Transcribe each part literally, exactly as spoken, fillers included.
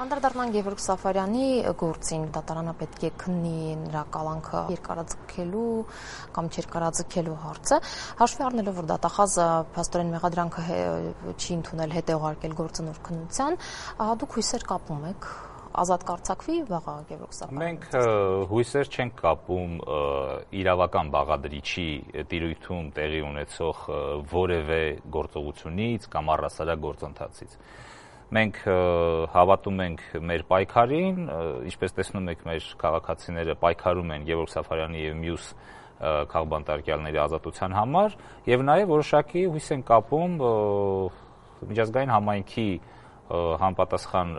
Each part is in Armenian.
Անդրադառնանք Գևորգ Սաֆարյանի գործին, դատարանը պետք է քննի նրա կալանքը երկարաձգելու կամ չերկարաձգելու հարցը, հաշվի առնելով, որ դատախազը փաստորեն մեղադրանքը չի ընդունել, հետ է ուղարկել գործը նոր քննության, դուք հույսեր կապում եք ազատ կարձակվի վաղը Գևորգ Սաֆարյանը։ Մենք հույսեր չենք կապում իրավական բաղադրիչի տիրույթում տեղի ունեցող որևէ գործողությունից կամ առհասարակ գործընթացից։ Մենք հավատում ենք մեր պայքարին, ինչպես տեսնում եք, մեր քաղաքացիները պայքարում են Գևորգ Սաֆարյանի եւ մյուս քաղբանտարկյալների ազատության համար, եւ նաեւ որոշակի հույս են կապում միջազգային համայնքի համապատասխան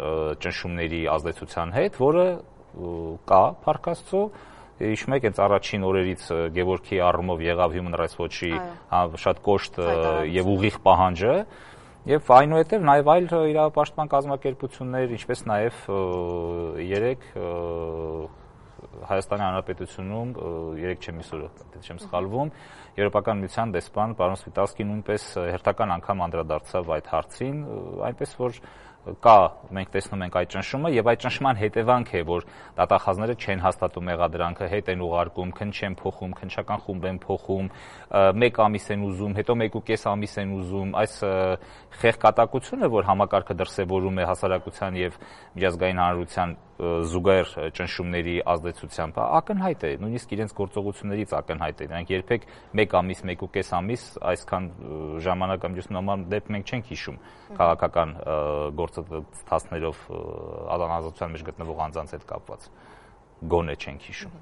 ճնշումների ազդեցության հետ, որը կա Փառք Աստծո։ Հիշում եք, հենց առաջին օրերից Գևորգի առումով եղավ Human Rights Watch-ի շատ կոշտ եւ ուղիղ պահանջը, եւ այնուհետեւ նաեւ այլ իրավապաշտպան կազմակերպություններ, ինչպես նաեւ երեք Հայաստանի Հանրապետությունում երեք չեմ իսուրը, եթե չեմ սխալվում, Եվրոպական միության դեսպան պարոն Սվիտալսկին նույնպես հերթական անգամ անդրադարձավ այդ հարցին, այնպես որ կա, մենք տեսնում ենք այդ ճնշումը եւ այդ ճնշման հետևանք է, որ դատախազները չեն հաստատում մեղադրանքը, հետ են ուղարկում, քննչ են փոխում, քննչական խումբ են փոխում, մեկ ամիս են ուզում, հետո մեկ ու կես ամիս են ուզում, այս խեղկատակությունը, որ համակարգը դրսևորում է հասարակության եւ միջազգային հանրության զուգահեռ ճնշումների ազդեցությամբ, ակնհայտ է, նույնիսկ իրենց գործողություններից ակնհայտ է։ Նրանք երբեք մեկ ամիս, մեկ ու կես ամիս այսքան ժամանակ ամբողջ նման դեպք մենք չենք հիշում քաղաքական գործընթացներով ազատության մեջ գտնվող անձանց հետ կապված։ Գոնե չենք հիշում։